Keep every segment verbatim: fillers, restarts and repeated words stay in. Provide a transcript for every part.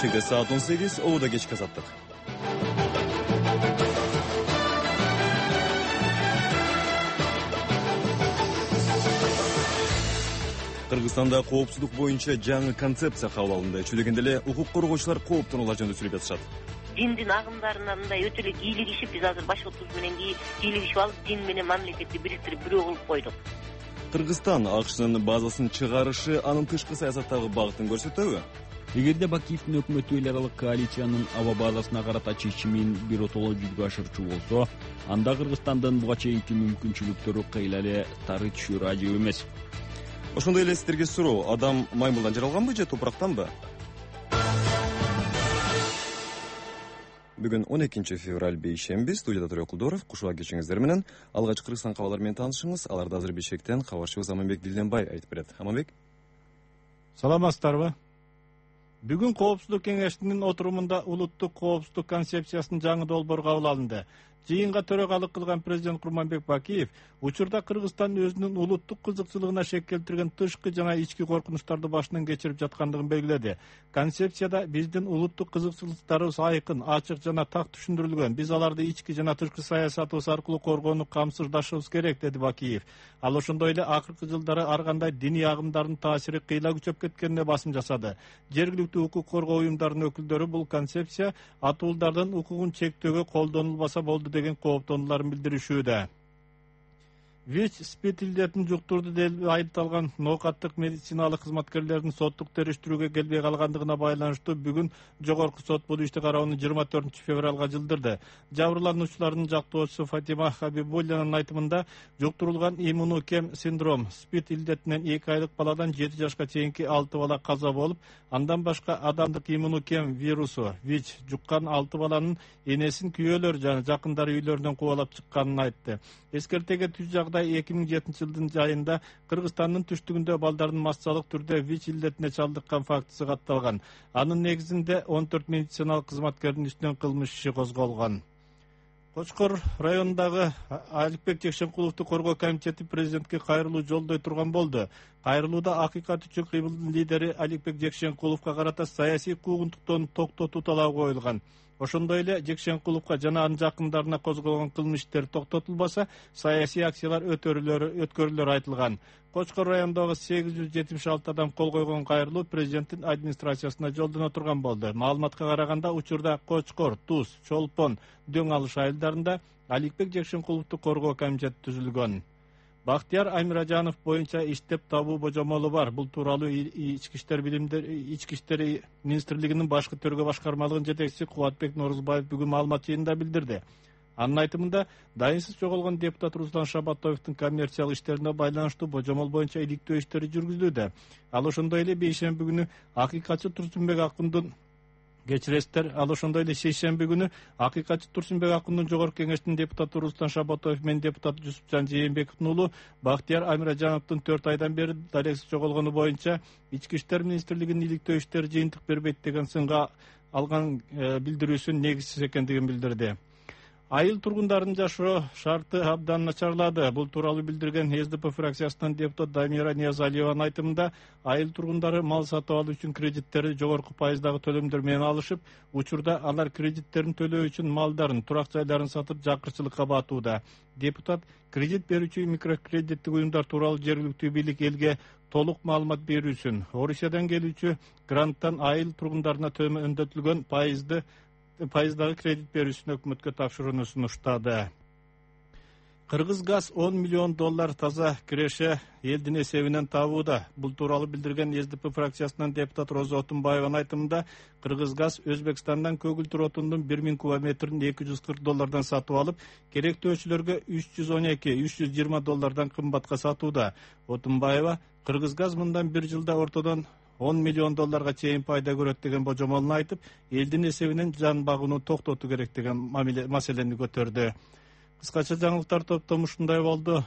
кечеге саат он сегиз, обода кечки азаттык. Кыргызстанда коопсуздук боюнча жаңы концепция кабыл алынды. Чүлегенде эле укук коргоочулар кооптонуулар жөнүндө сүйлөп жатышат. Диндин агымдарына мындай өтө эле кийлигишип, биз азыр башкортубуз менен кийлигишип алып, дин менен мамлекетти бириктирип бирөө кылып койдук. Кыргызстан АКШнын базасын чыгарышы анын тышкы саясаттагы багытын көрсөтөбү? Эгерде Бакиевдин өкмөтү эл аралык коалициянын аба базасына карата чечимин биротоло жүзгө ашырчу болсо, анда Кыргызстандын буга чейинки мүмкүнчүлүктөрү кыйла эле тары түшүрү ажып эмес. Ошондой эле сиздерге суроо: адам маймылдан жаралганбы же топурактанбы? Бүгүн он экинчи февраль бейшемби. Студияда Төрө Кулдоров. Кушуга кечиңиздер менен алгач Кыргызстан кабарлары менен таанышыңыз. Аларды азыр Бишкектен кабарчыбыз Аманбек Дилденбай айтып берет. Аманбек. Саламатсыздарбы? Бүгүн Коопсуздук кеңешинин отурумунда улуттук коопсуздук концепциясынын жаңы долбоору кабыл алынды. Жыйынга төрагалык кылган президент Курманбек Бакиев учурда Кыргызстан өзүнүн улуттук кызыкчылыгына шек келтирген тышкы жана ички коркунучтарды башынан кечирип жаткандыгын белгиледи. Концепцияда биздин улуттук кызыкчылыктарыбыз айкын, ачык жана так түшүндүрүлгөн. Биз аларды ички жана тышкы саясатыбыз аркылуу коргоону камсыздашыбыз керек, деди Бакиев. Ал ошондой эле акыркы жылдары ар кандай диний агымдардын таасири кыйла күчөп кеткенине басым жасады. Жергиликтүү укук коргоо уюмдарынын өкүлдөрү бул концепция атуулдардын укугун чектөөгө колдонулбаса болду деген кооптонууларын билдиришүүдө. ВИЧ-СПИД илдетин жуктурду деп айыпталган ноокаттык медициналык кызматкерлердин соттук териштирүүгө келбей калгандыгына байланыштуу бүгүн жогорку сот бул ишти кароону жыйырма төртүнчү февралга жылдырды. Жабырлануучулардын жактоочусу Фатима Хабибуллинанын айтымында, жуктурулган иммунокем синдром СПИД илдетинен эки айлык баладан жети жашка чейинки алты бала каза болуп, андан башка адамдык иммунокем вирусу ВИЧ жуккан алты баланын энесин күйөөлөр жана жакындары үйлөрүнөн кубалап чыкканын айтты. Эскертеге түз жагдай эки миң жетинчи жылдын жайында Кыргызстандын түштүгүндө балдардын массалык түрдө ВИЧ илдетине чалдыккан фактысы катталган. Анын негизинде он төрт медициналык кызматкердин үстүнөн кылмыш иши козголгон. Кочкор районундагы Аликбек Жекшенкуловду коргоо комитети президентке кайрылуу жолдой турган болду. Кайрылууда Акыйкат үчүн кыймылдын лидери Аликбек Жекшенкуловго карата саясий куугунтуктон токтотуу талабы коюлган. Ошондой эле Жекшенкуловго жана анын жакындарына козголгон кылмыш иштер токтотулбаса, саясий акциялар өткөрүлөрү айтылган. Кочкор районундагы сегиз жүз жетимиш алты адам кол койгон кайрылуу президенттин администрациясына жолдоно турган болду. Маалыматка караганда, учурда Кочкор, Туз, Чолпон, Дөң Алыш айылдарында Аликбек Жекшенкуловду коргоо комитети түзүлгөн. Бактияр Амиражанов боюнча иштеп табуу божомолу бар. Бул тууралуу ички иштер билимдер ички иштер министрлигинин башкы төргө башкармалыгынын жетекчиси Кубатбек Норузбаев бүгүн маалымат жыйынында билдирди. Анын айтымында, дайынсыз жоголгон депутат Руслан Шабатоевдун коммерциялык иштерине байланыштуу божомол боюнча иликтөө иштери жүргүзүлүүдө. Ал ошондой эле бейшемби күнү акыйкатчы Турсунбек Акундун Кечиресиздер, ал ошондой эле шейшемби күнү акыйкатчы Турсунбек Акундун жогорку кеңештин депутаты Руслан Шабатоев менен депутат Жусупжан Жээнбековдун уулу Бактияр Амиражановдун төрт айдан бери дарексиз жоголгону боюнча ички иштер министрлигинин иликтөө иштери жыйынтык бербейт деген сынга алган билдирүүсүн негизсиз экендигин билдирди. Айыл тургундардын жашоо шарты абдан начарлады. Бул тууралуу билдирген эс дэ пэ фракциясынын депутат Дамира Ниязалиеванын айтымында, айыл тургундары мал сатып алуу үчүн кредиттерди жогорку пайыздагы төлөмдөр менен алышып, учурда алар кредиттерин төлөө үчүн малдарын, турак жайларын сатып жакырчылыкка батууда. Депутат кредит берүүчү микрокредиттик уюмдар тууралуу жергиликтүү бийлик элге толук маалымат берүүсүн, Орусиядан келүүчү гранттан айыл тургундарына төмөндөтүлгөн пайызды пайыздагы кредит берүүсүн өкмөткө тапшырууну сунуштады. Кыргызгаз он миллион доллар таза киреше элдин эсебинен табууда. Бул тууралуу билдирген эс дэ пэ фракциясынын депутат Роза Отунбаеванын айтымында, Кыргызгаз Өзбекстандан көгүлтүр отундун бир миң кубометрин эки жүз кырк доллардан сатып алып, керектөөчүлөргө үч жүз он эки үч жүз жыйырма доллардан кымбатка сатууда. Отунбаева Кыргызгаз мындан бир жылда ортодон он миллион долларга чейин пайда көрөт деген божомолун айтып, элдин эсебинен жан багууну токтотуу керек деген маселени көтөрдү. Кыскача жаңылыктар топтому ушундай болду.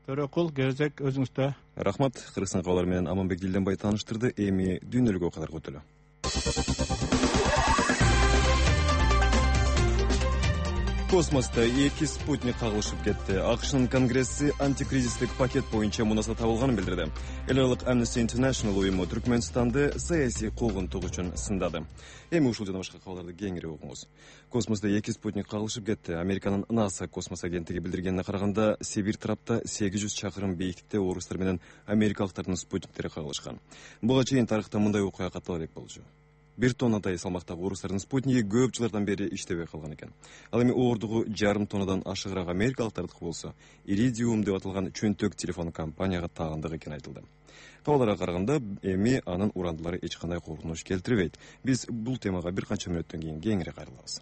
Төрөкул, кезек өзүңүздө. Рахмат. Кыргызстан кабарлары менен Аманбек Дилденбай тааныштырды. Эми дүйнөлүк окуяларга өтөлү. Космоста эки спутник кагылышып кетти. АКШнын Конгресси антикризистик пакет боюнча мунаса табылганын билдирди. Эл аралык Amnesty International уюму Түркмөнстанды саясий куугунтук үчүн сындады. Эми ушул жана башка кабарларды кеңири угуңуз. Космоста эки спутник кагылышып кетти. Американын НАСА космос агенттиги билдиргенине караганда, Сибирь тарапта сегиз жүз чакырым бийиктикте орустар менен америкалыктардын спутниктери кагылышкан. Буга чейин тарыхта мындай окуя каттала элек болчу. Бир тоннадай салмактагы орустардын спутниги көп жылдардан бери иштебей калган экен. Ал эми ордугу жарым тоннадан ашыгыраак америкалыктардыкы болсо, Iridium деп аталган чөнтөк телефон компанияга тагындык экени айтылды. Кабарларга караганда, эми анын урандылары эч кандай коркунуч келтирбейт. Биз бул темага бир канча мүнөттөн кийин кеңири кайрылабыз.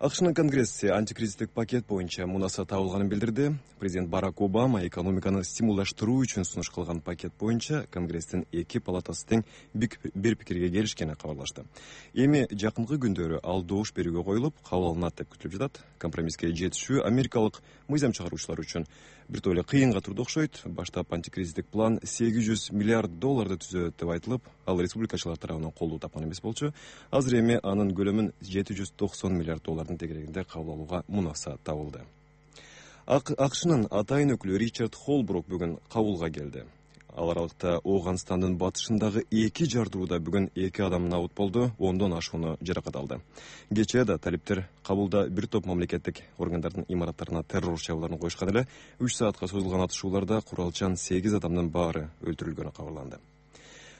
АКШнын Конгресси антикризистик пакет боюнча мунаса табылганын билдирди. Президент Барак Обама экономиканы стимулдаштыруу үчүн сунуш кылган пакет боюнча Конгресстин эки палатасы тең бир пикирге келишкени кабарлашты. Эми жакынкы күндөрү ал добуш берүүгө коюлуп, кабыл алынат деп күтүлүп жатат. Компромисске жетишүү америкалык мыйзам чыгаруучулар үчүн бир тойлы кыйынга турду окшойт. Баштап антикризистик план сегиз жүз миллиард долларды түзөт деп айтылып, ал республикачылар тарабынан колдоо тапкан эмес болчу. Азыр эми анын көлөмүн жети жүз токсон миллиард доллардын тегерегинде кабыл алууга мунаса табылды. АКШнын атайын өкүлү Ричард Холбрук бүгүн кабулга келди. Ал аралыкта Ооганстандын батышындагы эки жардырууда бүгүн эки адам набыт болду, ондон ашууну жаракат алды. Кечээ да талиптер кабулда бир топ мамлекеттик органдардын имараттарына террор чабууларын коюшкан эле. үч саатка созулган атышууларда куралчан сегиз адамдын баары өлтүрүлгөнү кабарланды.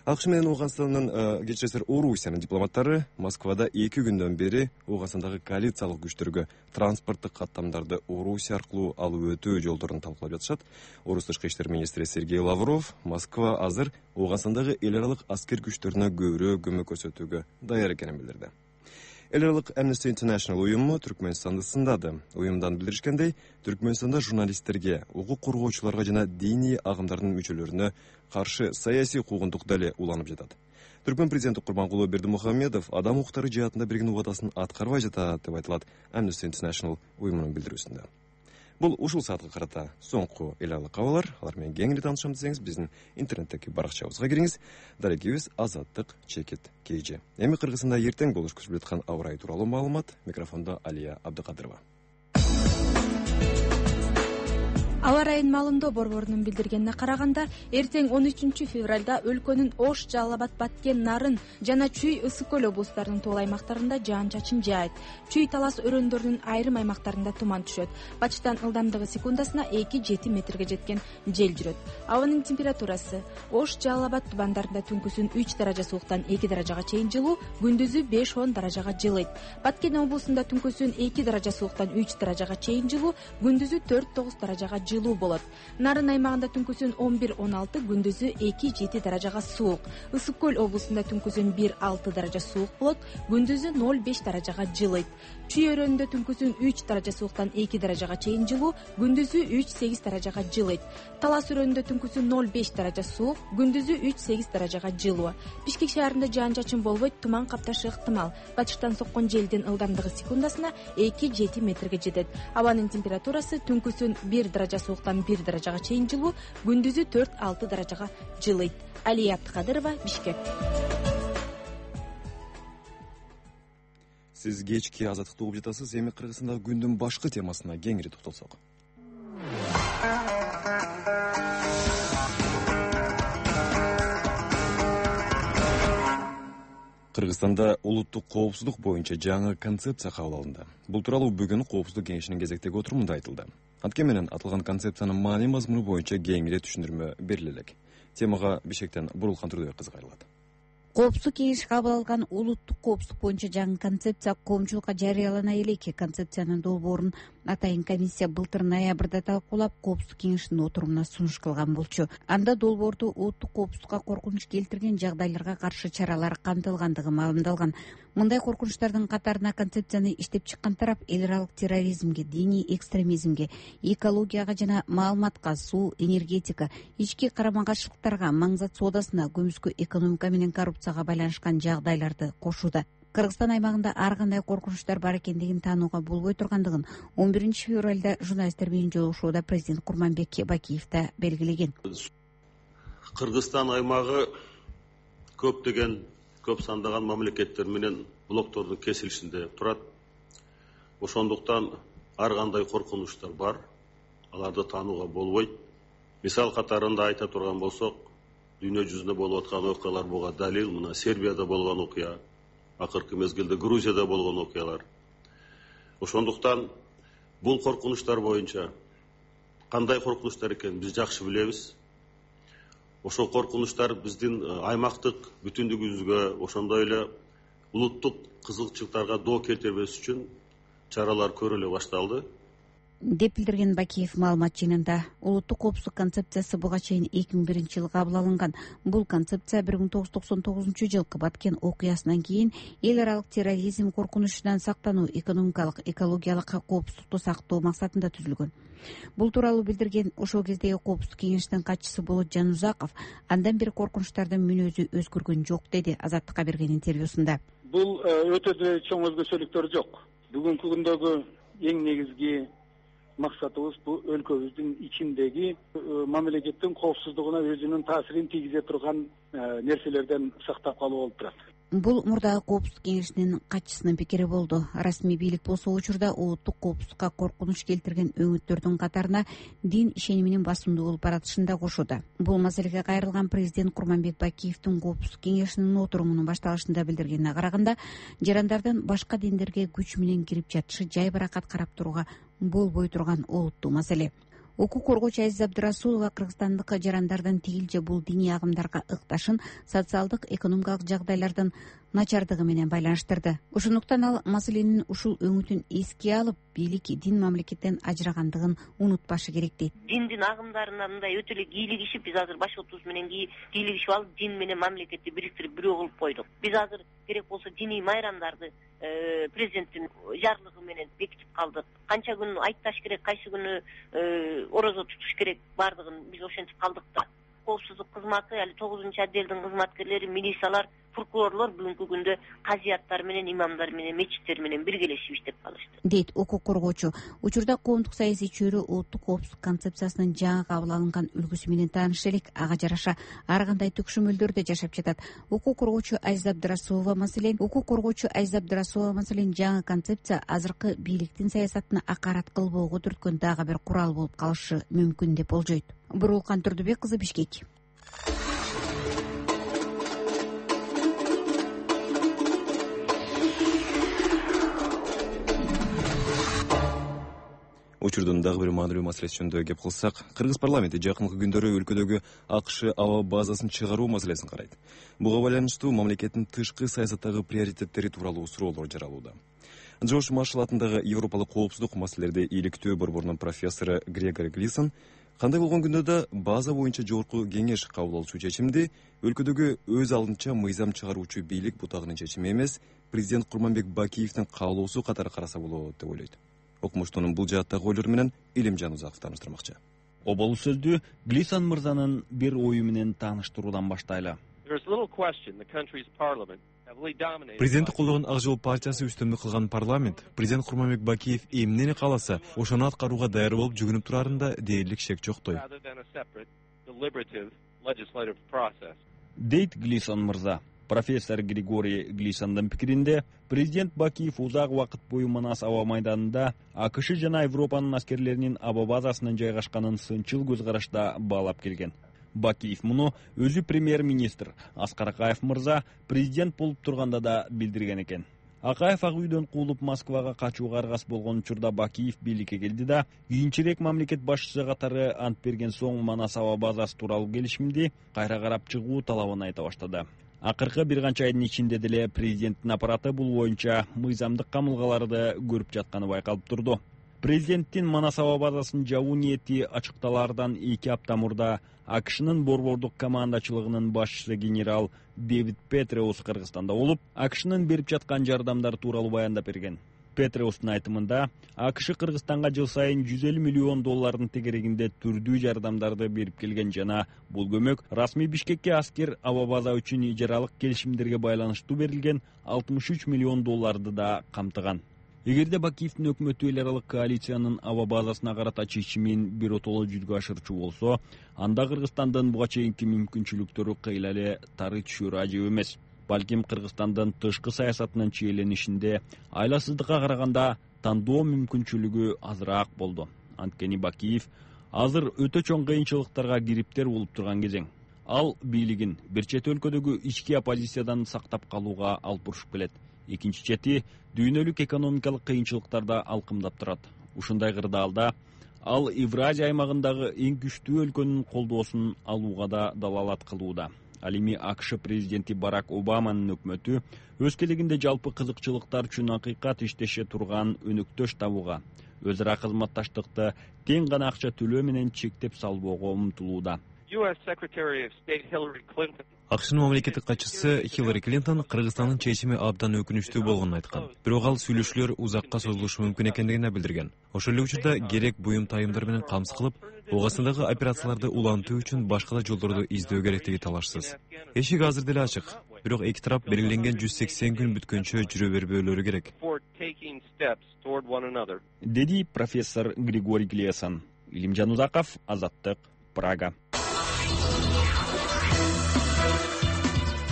АКШ менен Ооганстандын кечиресиз Орусиянын дипломаттары Москвада эки күндөн бери Ооганстандагы коалициялык күчтөргө транспорттук каттамдарды Орусия аркылуу алып өтүү жолдорун талкуулап жатышат. Орус тышкы иштер министри Сергей Лавров Москва азыр Ооганстандагы эл аралык аскер күчтөрүнө көбүрөөк көмөк көрсөтүүгө даяр экенин билдирди. Эл аралык Amnesty International уюму Түркмөнстанды сындады. Уюмдан билдиришкендей, Түркмөнстанда журналисттерге, укук коргоочуларга жана диний агымдардын мүчөлөрүнө каршы саясий куугунтук дале уланып жатат. Түркмөн президенти Курманкулу Бердимухамедов адам укуктары жаатында берген убадасын аткарбай жатат деп айтылат Amnesty International уюмунун билдирүүсүндө. Бул ушул саатка карата соңку эл аралык кабарлар. Алар менен кеңири таанышам десеңиз, биздин интернеттеги баракчабызга кириңиз. Дарегибиз Азаттык чекит кж. Эми Кыргызстанда эртең болуш күтүлүп жаткан аба ырайы тууралуу маалымат. Микрофондо Алия Абдыкадырова. Аба ырайынын маалымдоо борборунун билдиргенине караганда, эртең он үчүнчү февралда өлкөнүн Ош, Жалал Абад, Баткен, Нарын жана Чүй, Ысык көл облустарынын тоол аймактарында жаан-чачын жаайт. Чүй, Талас өрөөндөрүнүн айрым аймактарында туман түшөт. Батыштан ылдамдыгы секундасына эки жети метрге жеткен жел жүрөт. Абанын температурасы: Ош, Жалал Абад тубандарында түнкүсүн үч даража сууктан эки даражага чейин жылуу, күндүзү беш он даражага жылыйт. Баткен облусунда түнкүсүн эки даража сууктан үч даражага чейин жылуу, күндүзү төрт тогуз даражага жылуу болот. Нарын аймагында түнкүсүн он бир он алты, күндүзү эки жети даражага суук. Ысык көл облусунда түнкүсүн бир алты даража суук болот, күндүзү ноль беш даражага жылыйт. Чүй өрөөнүндө түнкүсүн үч даража сууктан эки даражага чейин жылуу, күндүзү үч сегиз даражага жылыйт. Талас өрөөнүндө түнкүсүн ноль беш даража суук, күндүзү үч сегиз даражага жылуу. Бишкек шаарында жаан-чачын болбойт, туман капташы ыктымал. Батыштан соккон желдин ылдамдыгы секундасына эки жети метрге жетет. Абанын температурасы түнкүсүн бир даража сууктан бир даражага чейин жылуу, күндүзү төрт алты даражага жылыйт. Алия Абдыкадырова, Бишкек. Сиз кечки азаттыкты угуп жатасыз. Эми Кыргызстандагы күндүн башкы темасына кеңири токтолсок. Кыргызстанда улуттук коопсуздук боюнча жаңы концепция кабыл алынды. Бул тууралуу бүгүн Коопсуздук кеңешинин кезектеги отурумунда айтылды. Анткени менен аталган концепциянын маани мазмуну боюнча кеңири түшүндүрмө бериле элек. Темага Бишкектен Бурулхан Турдубек кызы кайрылат. Коопсуздук кеңеши кабыл алган улуттук коопсуздук боюнча жаңы концепция коомчулукка жарыялана элек. Концепциянын долбоорун атайын комиссия былтыр ноябрда талкуулап, коопсуздук кеңешинин отурумуна сунуш кылган болчу. Анда долбоорду улуттук коопсуздукка коркунуч келтирген жагдайларга каршы чаралар камтылгандыгы маалымдалган. Мындай коркунучтардын катарына концепцияны иштеп чыккан тарап эл аралык терроризмге, диний экстремизмге, экологияга жана маалыматка, суу, энергетика, ички карама-каршылыктарга, маңзат соодасына, көмүскө экономика менен коррупцияга байланышкан жагдайларды кошууда. Кыргызстан аймагында ар кандай коркунучтар бар экендигин таанууга болбой тургандыгын он биринчи февралда журналисттер менен жолугушууда президент Курманбек Бакиев да белгилеген. Кыргызстан аймагы көптөгөн көп сандаган мамлекеттер менен блоктордун кесилишинде турат. Ошондуктан ар кандай коркунучтар бар, аларды таанууга болбойт. Мисал катарында айта турган болсок, дүйнө жүзүндө болуп аткан окуялар буга далил. Мына Сербияда болгон окуя, акыркы мезгилде Грузияда болгон окуялар. Ошондуктан бул коркунучтар боюнча кандай коркунучтар экенин биз жакшы билебиз. Ошол коркунучтар биздин аймактык бүтүндүгүбүзгө, ошондой эле улуттук кызыкчылыктарга доо келтирбес үчүн чаралар көрүлө башталды деп билдирген Бакиев маалымат жыйынында. Улуттук коопсуздук концепциясы буга чейин эки миң биринчи жылы кабыл алынган. Бул концепция бир миң тогуз жүз токсон тогузунчу жылкы Баткен окуясынан кийин эл аралык терроризм коркунучунан сактануу, экономикалык, экологиялык коопсуздукту сактоо максатында түзүлгөн. Бул тууралуу билдирген ошол кездеги коопсуздук кеңешинин катчысы Болот Жанузаков, андан бери коркунучтардын мүнөзү өзгөргөн жок деди Азаттыкка берген интервьюсунда. Бул өтө деле чоң өзгөчөлүктөр жок. Бүгүнкү күндөгү эң негизги максатыбыз бул өлкөбүздүн ичиндеги мамлекеттин коопсуздугуна өзүнүн таасирин тийгизе турган нерселерден сактап калуу болуп турат. Бул мурдагы коопсуздук кеңешинин катчысынын пикири болду. Расмий бийлик болсо учурда улуттук коопсуздукка коркунуч келтирген өңүттөрдүн катарына дин ишениминин басымдуу болуп баратышын да кошууда. Бул маселеге кайрылган президент Курманбек Бакиевдин коопсуздук кеңешинин отурумунун башталышында билдиргенине караганда, жарандардын башка диндерге күч менен кирип жатышы жай баракат карап турууга болбой турган олуттуу маселе. Укук коргоочу Азиза Абдырасулова кыргызстандык жарандардын тигилже бул диний агымдарга ыкташын социалдык, экономикалык жагдайлардын начардыгы менен байланыштырды. Ошондуктан ал маселенин ушул өңүтүн эске алып, бийлик дин мамлекеттен ажырагандыгын унутпашы керек дейт. Диндин агымдарына мындай өтө эле кийлигишип, биз азыр башкортубуз менен кийлигишип алып, дин менен мамлекетти бириктирип бирөө кылып койдук. Биз азыр керек болсо диний майрамдарды президенттин жарлыгы менен бекитип калдык. Канча күн айтташ керек, кайсы күнү орозо тутуш керек, бардыгын биз ошентип калдык да. Коопсуздук кызматы, али тогузунчу отделдин кызматкерлери, милициялар, прокурорлор бүгүнкү күндө казияттар менен, имамдар менен, мечиттер менен биргелешип иштеп калышты, дейт укук коргоочу. Учурда коомдук саясий чөйрө улуттук коопсуздук концепциясынын жаңы кабыл алынган үлгүсү менен тааныш элек, ага жараша ар кандай төкшөмөлдөрдө жашап жатат. Укук коргоочу Азиза Абдырасулова маселен, укук коргоочу Азиза Абдырасулова маселен жаңы концепция азыркы бийликтин саясатына акарат кылбоого түрткөн дагы бир курал болуп калышы мүмкүн деп болжойт. Бурулкан Турдубек кызы, Бишкек. Учурдун дагы бир маанилүү маселеси жөнүндө кеп кылсак, кыргыз парламенти жакынкы күндөрү өлкөдөгү АКШ аба базасын чыгаруу маселесин карайт. Буга байланыштуу мамлекеттин тышкы саясаттагы приоритеттери тууралуу суроолор жаралууда. Джош Маршалл атындагы Европалык коопсуздук маселелерди иликтөө борборунун профессору Грегори Глисон кандай болгон күндө да база боюнча жогорку кеңеш кабыл алуучу чечимди өлкөдөгү өз алдынча мыйзам чыгаруучу бийлик бутагынын чечими эмес, президент Курманбек Бакиевдин каалоосу катары караса болот деп ойлойт. Окумуштуунун бул жааттагы ойлору менен Илим Жанузаков тааныштырмакчы. Обол сөздү Глисон мырзанын бир ою менен тааныштыруудан баштайлы. Президенти колдогон Ак Жол партиясы үстөмдүк кылган парламент президент Курманбек Бакиев эмнени кааласа, ошону аткарууга даяр болуп жүгүнүп турарында дээрлик шек жоктой, дейт Глисон мырза. Профессор Григорий Глисондун пикиринде, президент Бакиев узак убакыт бою Манас аба майданында АКШ жана Европанын аскерлеринин аба базасынын жайгашканын сынчыл көз карашта баалап келген. Бакиев муну өзү премьер-министр Аскар Акаев мырза президент болуп турганда да билдирген экен. Акаев ак үйдөн куулуп Москвага качууга аргас болгон учурда Бакиев бийликке келди да, кийинчерээк мамлекет башчысы катары ант берген соң Манас аба базасы тууралуу келишимди кайра карап чыгуу талабын айта баштады. Акыркы бир канча айдын ичинде деле президенттин аппараты бул боюнча мыйзамдык камылгаларды көрүп жатканы байкалып турду. Президенттин Манас аба базасын жабуу ниети ачыкталаардан эки апта мурда АКШнын борбордук командачылыгынын башчысы генерал Дэвид Петреус Кыргызстанда болуп, АКШнын берип жаткан жардамдар тууралуу баяндап берген. Петреустун айтымында, АКШ Кыргызстанга жыл сайын жүз элүү миллион доллардын тегерегинде түрдүү жардамдарды берип келген жана бул көмөк расмий Бишкекке аскер аба база үчүн ижаралык келишимдерге байланыштуу берилген алтымыш үч миллион долларды да камтыган. Эгерде Бакиевдин өкмөтү эл аралык коалициянын аба базасына карата чечимин биротоло жүзгө ашырчу болсо, анда Кыргызстандын буга чейинки мүмкүнчүлүктөрү кыйла эле тары түшөрү ажып эмес. Балким Кыргызстандын тышкы саясатынын чиеленишинде айласыздыкка караганда тандоо мүмкүнчүлүгү азыраак болду. Анткени Бакиев азыр өтө чоң кыйынчылыктарга кириптер болуп турган кезең. Ал бийлигин бир чет өлкөдөгү ички оппозициядан сактап калууга алып урушуп келет. Экинчи чети дүйнөлүк экономикалык кыйынчылыктарда алкымдап турат. Ушундай кырдаалда ал Евразия аймагындагы эң күчтүү өлкөнүн колдоосун алууга да далалат кылууда. Ал эми АКШ президенти Барак Обаманын өкмөтү өз келегинде жалпы кызыкчылыктар үчүн акыйкат иштеше турган өнөктөш табууга, өз ара кызматташтыкты тең гана акча төлөө менен чектеп салбоого умтулууда. АКШнын мамлекеттик катчысы Хиллари Клинтон Кыргызстандын чечими абдан өкүнүчтүү болгонун айткан. Бирок ал сүйлөшүүлөр узакка созулушу мүмкүн экендигин билдирген. Ошол эле учурда керек буюм тайымдар менен камсыз кылып, Ооганстандагы операцияларды улантуу үчүн башка да жолдорду издөө керектиги талашсыз. Эшик азыр деле ачык. Бирок эки тарап белгиленген жүз сексен күн бүткөнчө жүрө бербөөлөрү керек. Деди профессор Григорий Глесан. Илимжан Узаков, Азаттык, Прага.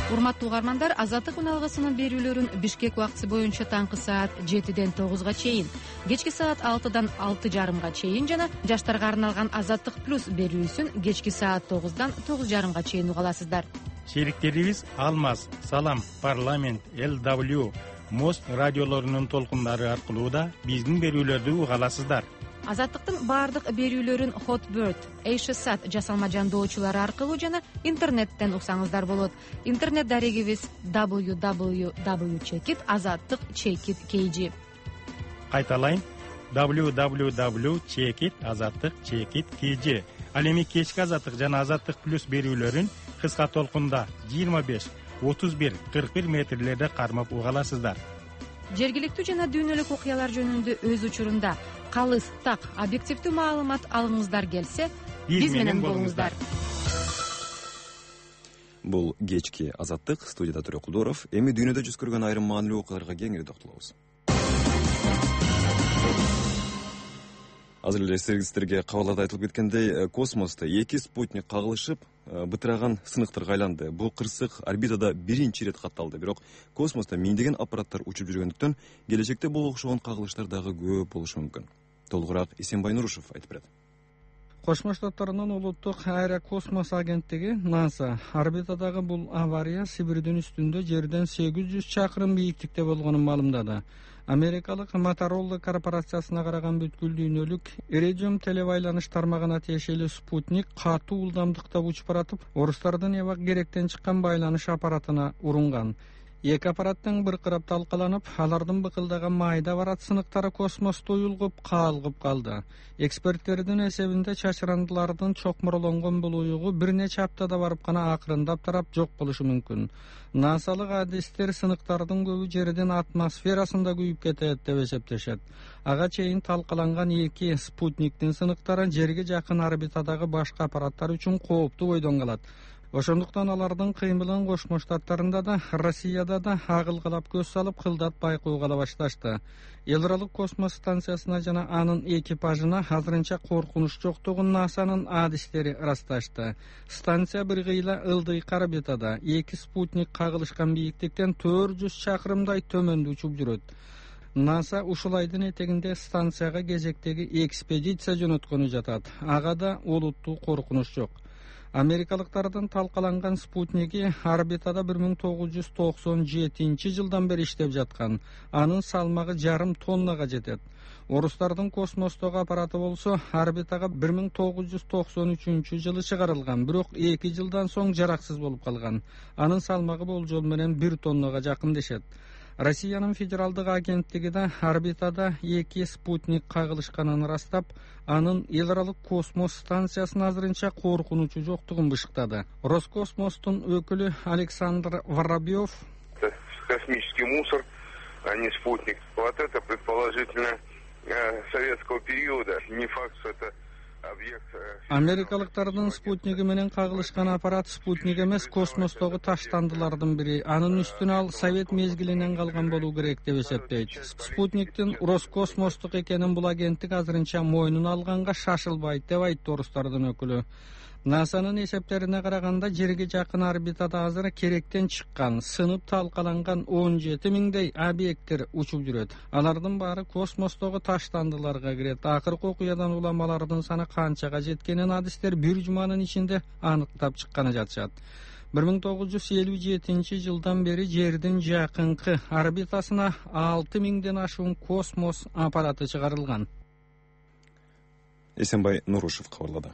Урматтуу угармандар, Азаттык үналгысынын берүүлөрүн Бишкек убактысы боюнча таңкы саат жетиден тогузга чейин, кечки саат алтыдан алты жарымга чейин жана жаштарга арналган Азаттык плюс берүүсүн кечки саат тогуздан тогуз жарымга чейин уга аласыздар. Шериктерибиз Алмаз, Салам, Парламент, Эл дабл ю, Мост радиолорунун толкундары аркылуу да биздин берүүлөрдү уга аласыздар. Азаттыктын баардык берүүлөрүн Hotbird, Эйшсат жасалма жандоочулары аркылуу жана интернеттен уксаңыздар болот. Интернет дарегибиз дабл ю дабл ю дабл ю чекит азаттык чекит кей жи. Кайталайын, дабл ю дабл ю дабл ю чекит азаттык чекит кей жи. Ал эми кечки Азаттык жана Азаттык плюс берүүлөрүн кыска толкунда жыйырма беш, отуз бир, кырк бир метрлерде кармап уга аласыздар. Жергиликтүү жана дүйнөлүк окуялар жөнүндө өз учурунда калыс, так, объективдүү маалымат алгыңыздар келсе, биз менен болуңуздар. Бул кечки Азаттык, студияда Төрө Кулдоров. Эми дүйнөдө жүз көргөн айрым маанилүү окуяларга кеңири токтолобуз. Азыр эле сиздерге кабарларда айтылып кеткендей, космосто эки спутник кагылышып, бытыраган сыныктарга айланды. Бул кырсык орбитада биринчи ирет катталды. Бирок космосто миңдеген аппараттар учуп жүргөндүктөн келечекте бул окшогон кагылыштар дагы көп болушу мүмкүн. Толугураак Эсенбай Нурушев айтып берет. Кошмо Штаттарынын улуттук аэрокосмос агенттиги НАСА орбитадагы бул авария Сибирдин үстүндө жерден сегиз жүз чакырым бийиктикте болгонун маалымдады. Америкалык Motorola корпорациясына караган бүткүл дүйнөлүк Iridium телебайланыш тармагына тиешелүү спутник катуу ылдамдыкта учуп баратып, орустардын эбак керектен чыккан байланыш аппаратына урунган. Эки аппараттың быркырап талкаланып, алардын быкылдаган майда барат сыныктары космосто уюлгуп, каалгып калды. Эксперттердин эсебинде чачырандылардын чокмурлонгон бул уюгу бир нече аптада барып гана акырындап тарап жок болушу мүмкүн. НАСАлык адистер сыныктардын көбү жердин атмосферасында күйүп кетет деп эсептешет. Ага чейин талкаланган эки спутниктин сыныктары жерге жакын орбитадагы башка аппараттар үчүн кооптуу бойдон калат. Ошондуктан алардын кыймылын Кошмо Штаттарында да, Россияда да агылгылап көз салып, кылдат байкоого ала башташты. Элралык космос станциясына жана анын экипажына азырынча коркунуч жоктугун НАСАнын адистери ырасташты. Станция бир кыйла ылдый орбитада, эки спутник кагылышкан бийиктиктен төрт жүз чакырымдай төмөндө учуп жүрөт. НАСА ушул айдын этегинде станцияга кезектеги экспедиция жөнөткөнү жатат. Ага да олуттуу коркунуч жок. Америкалыктардын талкаланган спутниги орбитада бир миң тогуз жүз токсон жетинчи жылдан бери иштеп жаткан. Анын салмагы жарым тоннага жетет. Орустардын космостогу аппараты болсо орбитага бир миң тогуз жүз токсон үчүнчү жылы чыгарылган, бирок эки жылдан соң жараксыз болуп калган. Анын салмагы болжол менен бир тоннага жакын дешет. Россиянын федералдык агенттиги да орбитада эки спутник кагылышканын ырастап, анын эл аралык космос станциясынын азырынча коркунучу жоктугун бышыктады. Роскосмостун өкүлү Александр Воробьев: "Это космический мусор, а не спутник. Вот это предположительно советского периода. Не факт, что это Америкалыктардын спутниги менен кагылышкан аппарат спутник эмес, космостогу таштандылардын бири. Анын үстүнө ал совет мезгилинен калган болуу керек деп эсептейт. Спутниктин Роскосмостук экенин бул агенттик азырынча мойнуна алганга шашылбайт деп айтты орустардын өкүлү. насанын эсептерине караганда жерге жакын орбитада азыр керектен чыккан, сынып талкаланган он жети миңдей объекттер учуп жүрөт. Алардын баары космостогу таштандыларга кирет. Акыркы окуядан улам алардын саны канчага жеткенин адистер бир жуманын ичинде аныктап чыкканы жатышат. бир миң тогуз жүз элүү жетинчи жылдан бери жердин жакынкы орбитасына алты миңден ашуун космос аппараты чыгарылган. Эсенбай Нурушев кабарлады.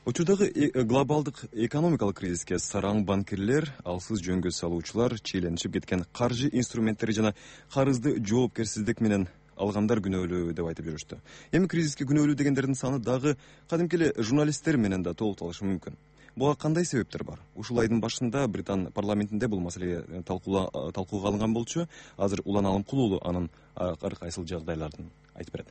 Учурдагы глобалдык экономикалык кризиске сараң банкирлер, алсыз жөнгө салуучулар, чийленип кеткен каржы инструменттери жана карызды жоопкерсиздик менен алгандар күнөөлүү деп айтып жүрүштү. Эми кризиске күнөөлүү дегендердин саны дагы кадимки эле журналисттер менен да толукталышы мүмкүн. Буга кандай себептер бар? Ушул айдын башында Британ парламентинде бул маселе талкууга алынган болчу. Азыр Улан Алымкулуулу анын ар кайсыл жагдайларын айтып берет.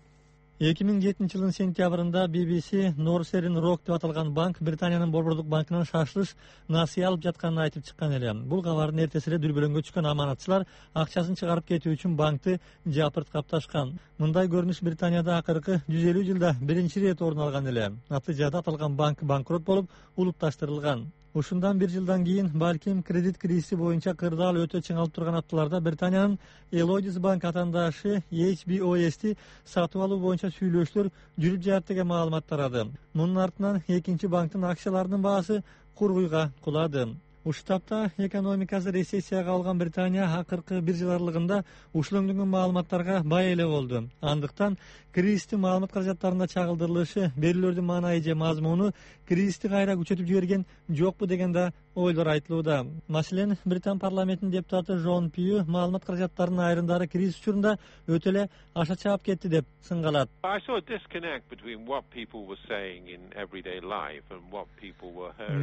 эки миң жетинчи жылдын сентябрында би би си Northern Rock деп аталган банк Британиянын Борбордук банкынан шашылыш насыя алып жатканын айтып чыккан эле. Бул кабардын эртеси эле дүрбөлөңгө түшкөн аманатчылар акчасын чыгарып кетүү үчүн банкты жапырт капташкан. Мындай көрүнүш Британияда акыркы жүз элүү жылда биринчи ирет орун алган эле. Натыйжада аталган банк банкрот болуп, улутташтырылган. Ушундан бир жылдан кийин балким кредит кризиси боюнча кырдаал өтө чыңалып турган апталарда Британиянын Lloyds банк атаандашы эйч би о эсти сатып алуу боюнча сүйлөшүүлөр жүрүп жатат деген маалымат тарады. Мунун артынан экинчи банктын акцияларынын баасы кургуйга кулады. Ушул тапта экономикасы рецессияга алган Британия акыркы бир жыл аралыгында ушулөңдөгөн маалыматтарга бай эле болду. Андыктан кризистин маалымат каражаттарында чагылдырылышы, берүүлөрдүн маанайы же мазмуну кризисти кайра күчөтүп жиберген жокпу деген да ойлор айтылууда. Маселен, Британ парламентинин депутаты Жон Пью маалымат каражаттарынын айрымдары кризис учурунда өтө эле аша чаап кетти деп сынгалат.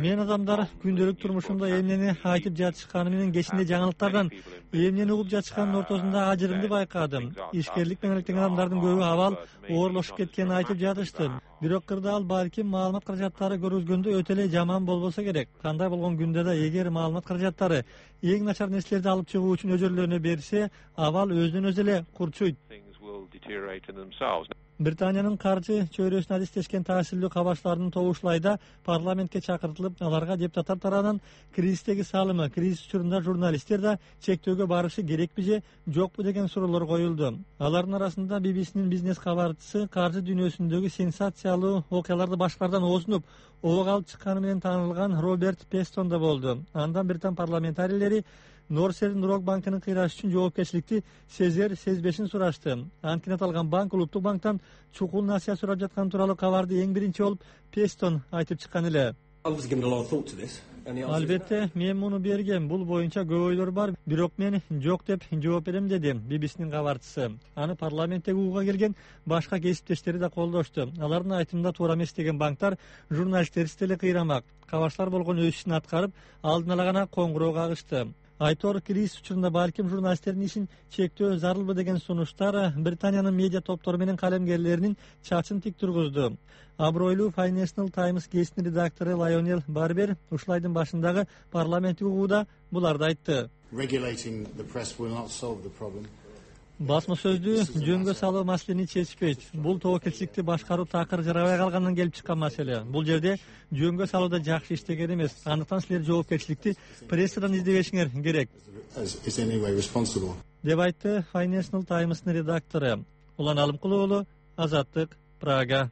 Мен адамдар күндөлүк турмушунда эмнени айтып жатышканы менен кечинде жаңылыктардан эмнени угуп жатышканын ортосунда ажырымды байкадым. Ишкерлик менен иликтенген адамдардын көбү абал оорлошуп кеткенин айтып жатышты. Бирок кырдаал балким маалымат каражаттары көргөзгөндө өтө эле жаман болбосо керек. Кандай болгон күндө да эгер маалымат каражаттары эң начар нерселерди алып чыгуу үчүн өжөрлөрүнө берсе, абал өзүнөн өзү эле курчуйт. Британиянын каржы чөйрөсүнө адистешкен таасирлүү кабарчылардын тобу ушул айда парламентке чакыртылып, аларга депутаттар тарабынан кризистеги салымы, кризис учурунда журналисттер да чектөөгө барышы керекпи же жокпу деген суроолор коюлду. Алардын арасында би би синин бизнес кабарчысы каржы дүйнөсүндөгү сенсациялуу окуяларды башкалардан оозунуп, ого алып чыкканы менен таанылган Роберт Пестон да болду. Андан Британ парламентарийлери Northern Rock банкынын кыйрашы үчүн жоопкерчиликти сезер, сезбешин сурашты. Анткени аталган банк улуттук банктан чукул насыя сурап жатканы тууралуу кабарды эң биринчи болуп Пестон айтып чыккан эле. Албетте, мен муну бергем. Бул боюнча көп ойлор бар, бирок мен жок деп жооп берем, деди би би синин кабарчысы. Аны парламенттеги угууга келген башка кесиптештери да колдошту. Алардын айтымында туура эмес деген банктар журналисттерди деле кыйрамак. Кабарчылар болгон өз ишин аткарып, алдын ала гана коңгуроо кагышты. Айтор кризис учурунда балким журналисттердин ишин чектөө зарылбы деген сунуштар Британиянын медиа топтору менен калемгерлеринин чачын тик тургузду. Абройлуу Financial Times гезитинин редактору Лайонел Барбер ушул айдын башындагы парламенттик угууда буларды айтты. Басма сөздү жөнгө салуу маселени чечпейт. Бул тобокелчиликти башкаруу такыр жарабай калгандан келип чыккан маселе. Бул жерде жөнгө салууда жакшы иштеген эмес. Андыктан силер жоопкерчиликти прессадан издебешиңер керек. Деп айтты Financial Times'нын редактору. Улан Алымкулуулу, Азаттык, Прага.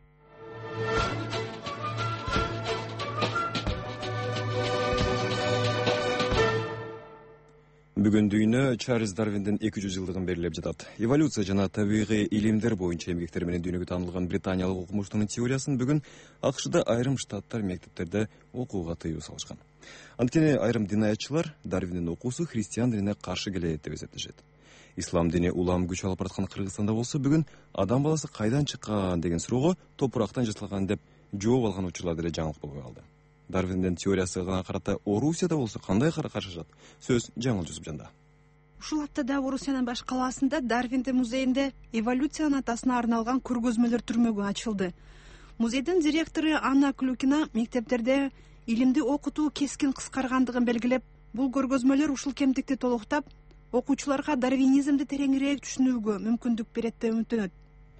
Бүгүн дүйнө Чарльз Дарвиндин эки жүз жылдыгын белгилеп жатат. Эволюция жана табигый илимдер боюнча эмгектери менен дүйнөгө таанылган британиялык окумуштунун теориясын бүгүн АКШда айрым штаттар мектептерде окууга тыюу салышкан. Анткени айрым динаятчылар Дарвиндин окуусу христиан динине каршы келет деп эсептешет. Ислам дини улам күч алып бараткан Кыргызстанда болсо бүгүн адам баласы кайдан чыккан деген суроого топурактан жасалган деп жооп алган учурлар деле жаңылык болбой калды. Дарвиндин теориясына карата Орусияда болсо кандай карашат? Сөз Жаңыл Жусупжанда. Ушул аптада Орусиянын баш калаасында Дарвиндин музейинде эволюциянын атасына арналган көргөзмөлөр түрмөгү ачылды. Музейдин директору Анна Клюкина мектептерде илимди окутуу кескин кыскаргандыгын белгилеп, бул көргөзмөлөр ушул кемтикти толуктап, окуучуларга дарвинизмди тереңирээк түшүнүүгө мүмкүндүк берет деп үмүттөнөт.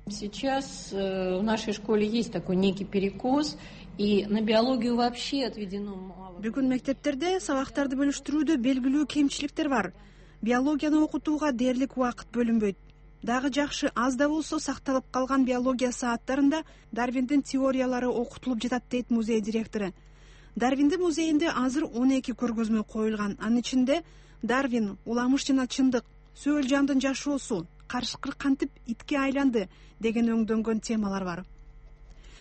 Сейчас в нашей школе есть такой некий перекос, и на биологию вообще отведено мало. Бүгүн мектептерде сабактарды бөлүштүрүүдө белгилүү кемчиликтер бар. Биологияны окутууга дээрлик убакыт бөлүнбөйт. Дагы жакшы аз да болсо сакталып калган биология сааттарында Дарвиндин теориялары окутулуп жатат дейт музей директору. Дарвиндин музейинде азыр он эки көргөзмө коюлган. Анын ичинде Дарвин, уламыш жана чындык, сөөл жандын жашоосу, карышкыр кантип итке айланды деген өңдөнгөн темалар бар.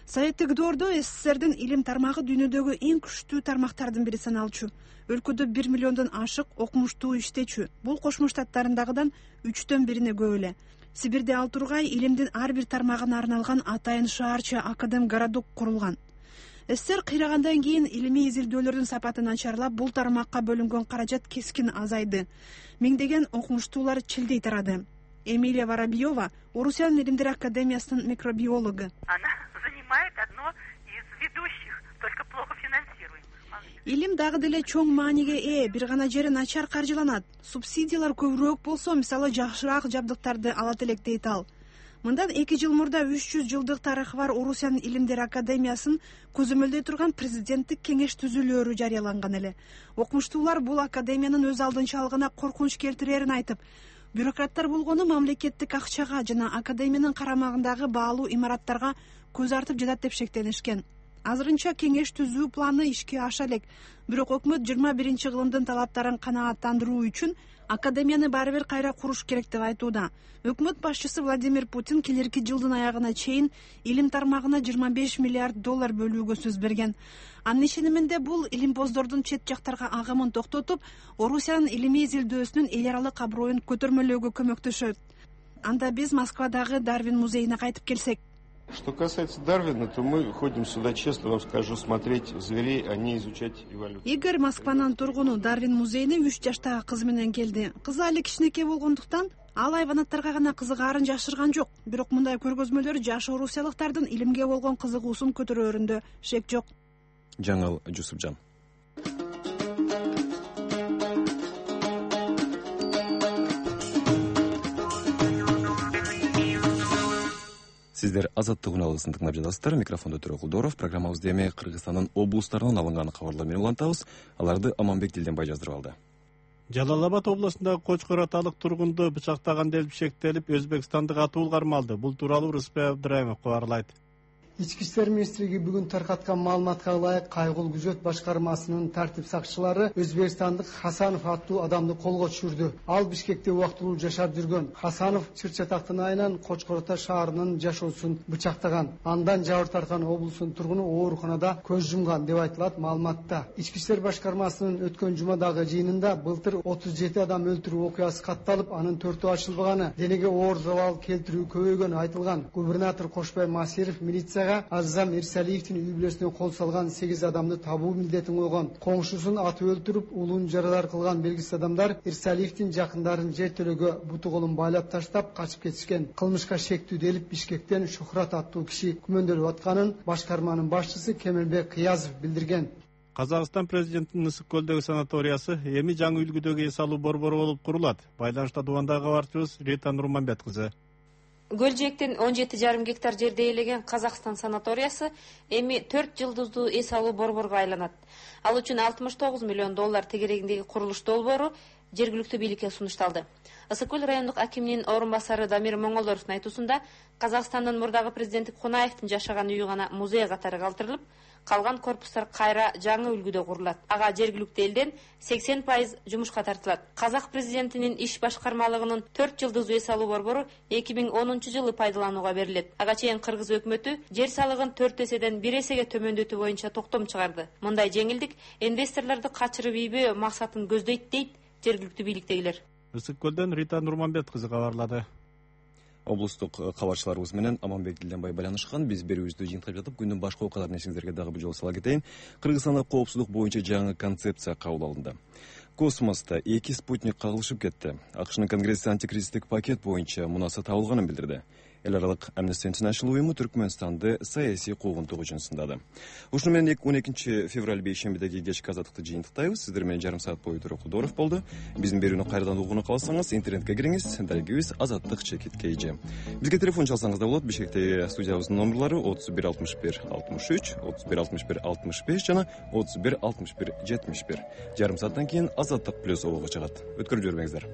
Советтик доордо СССРдин илим тармагы дүйнөдөгү эң күчтүү тармактардын бири саналчу. Өлкөдө бир миллиондон ашык окумуштуу иштечү. Бул Кошмо Штаттарындагыдан үчтөн бирине көп эле. Сибирде ал тургай илимдин ар бир тармагына арналган атайын шаарча академ городок курулган. СССР кыйрагандан кийин илимий изилдөөлөрдүн сапаты начарлап, бул тармакка бөлүнгөн каражат кескин азайды. Миңдеген окумуштуулар чилдей тарады. Эмилия Воробьева Орусиянын илимдер академиясынын микробиологу. Она занимает одно из ведущих, только плохо финансируем. Илим дагы деле чоң мааниге ээ, бир гана жери начар каржыланат. Субсидиялар көбүрөөк болсо, мисалы жакшыраак жабдыктарды алат элек дейт ал. Мындан эки жыл мурда үч жүз жылдык тарыхы бар Орусиянын илимдер академиясын көзөмөлдөй турган президенттик кеңеш түзүлөөрү жарыяланган эле. Окумуштуулар бул академиянын өз алдынчалыгына коркунуч келтирерин айтып, бюрократтар болгону мамлекеттик акчага жана академиянын карамагындагы баалуу имараттарга көз артып жатат деп шектенишкен. Азырынча кеңеш түзүү планы ишке аша элек, бирок өкмөт жыйырма биринчи кылымдын талаптарын канааттандыруу үчүн академияны баары бир кайра куруш керек деп айтууда. Өкмөт башчысы Владимир Путин келерки жылдын аягына чейин илим тармагына жыйырма беш миллиард доллар бөлүүгө сөз берген. Анын ишениминде бул илимпоздордун чет жактарга агымын токтотуп, Орусиянын илимий изилдөөсүнүн эл аралык аброюн көтөрмөлөөгө көмөктөшөт. Анда биз Москвадагы Дарвин музейине кайтып келсек. Что касается Дарвина, то мы ходим сюда, честно вам скажу, смотреть зверей, а не изучать эволюцию. Игорь Москванын тургуну Дарвин музейине үч жаштагы кызы менен келди. Кызы али кичинекей болгондуктан ал айванаттарга гана кызыгаарын жашырган жок. Бирок мындай көргөзмөлөр жаш орусиялыктардын илимге болгон кызыгуусун көтөрөөрүндө шек жок. Жаңыл Жусупжан. Сиздер Азаттык уналысын тыңдап жатасыздар. Микрофондо Төрө Кулдоров. Программабызды эми Кыргызстандын облустарынан алынган кабарлар менен улантабыз. Аларды Аманбек Дилденбай жаздырып алды. Жалал Абад областындагы Кочкор аталык тургунду бычактаган деп шектелип, Өзбекстандык атуу кармалды. Бул тууралуу Рыспай Абдыраимов кабарлайт. Ички иштер министрлиги бүгүн таркаткан маалыматка ылайык Кайгыл күзөт башкармасынын тартип сакчылары өзбекстандык Хасанов аттуу адамды колго түшүрдү. Ал Бишкекте убактылуу жашап жүргөн. Хасанов Чыр-Чатактын айынан Кочкор ата шаарынын жашоосун бычактаган. Андан жабыр тарткан облустун тургуну ооруканада көз жумган деп айтылат маалыматта. Ички иштер башкармасынын өткөн жумадагы жыйынында былтыр отуз жети адам өлтүрүү окуясы катталып, анын төртөө ачылбаганы, денеге оор залал келтирүү көбөйгөнү айтылган. Губернатор Кошбай Масиров милицияга Азам Ирсалиевдин үй бүлөсүнө кол салган сегиз адамды табуу милдетин койгон. Коңшусун атып өлтүрүп, улуун жаралар кылган белгисиз адамдар Ирсалиевдин жакындарын жертөлөгө буту колун байлап таштап качып кетишкен. Кылмышка шектүү делип Бишкектен Шухрат аттуу киши күмөндөлүп атканын башкарманын башчысы Кемелбек Кыязов билдирген. Казакстан президентинин Ысык көлдөгү санаториясы эми жаңы үлгүдөгү эс алуу борбору болуп курулат. Байланышта Дубандагы кабарчыбыз Рита Нурманбет кызы. Көл жээктен он жети жарым гектар жерде ээлеген Казакстан санаториясы эми төрт жылдыздуу эс алуу борборго айланат. Ал үчүн алтымыш тогуз миллион доллар тегерегиндеги курулуш долбоору жергиликтүү бийликке сунушталды. Ысык көл райондук акиминин орун басары Дамир Моңолоровдун айтуусунда, Казакстандын мурдагы президенти Кунаевдин жашаган үйү гана музей катары калтырылып, калган корпустар кайра жаңы үлгүдө курулат. Ага жергиликтүү элден сексен пайыз жумушка тартылат. Казак президентинин иш башкармалыгынын төрт жылдыздуу эс алуу борбору эки миң онунчу жылы пайдаланууга берилет. Ага чейин Кыргыз өкмөтү жер салыгын төрт эседен бир эсеге төмөндөтүү боюнча токтом чыгарды. Мындай жеңилдик инвесторлорду качырып ийбөө максатын көздөйт дейт жергиликтүү бийликтегилер. Ысык көлдөн Рита Нурманбет кызы кабарлады. Облустук кабарчыларыбыз менен Аманбек Дилденбай байланышкан. Биз берүүбүздү жыйынтыктап жатып, күндүн башка окуяларын эсиңиздерге дагы бир жолу сала кетейин. Кыргызстанда коопсуздук боюнча жаңы концепция кабыл алынды. Космоста эки спутник кагылышып кетти. АКШнын Конгресси антикризистик пакет боюнча мунаса табылганын билдирди. Эл аралык Amnesty International уюму Түркмөнстанды саясий куугунтук үчүн сындады. Ушуну менен он экинчи февраль бейшембидеги кечки азаттыкты жыйынтыктайбыз. Сиздер менен жарым саат бою Тура Кудоров болду. Биздин берүүнү кайрадан угууну кааласаңыз, интернетке кириңиз. Дарегибиз азаттык чекит kg. Бизге телефон чалсаңыз да болот. Бишкектеги студиябыздын номерлары отуз бир алтымыш бир алтымыш үч, отуз бир алтымыш бир алтымыш беш жана отуз бир алтымыш бир жетимиш бир. Жарым сааттан кийин Азаттык плюс обого чыгат. Өткөрүп жибербеңиздер.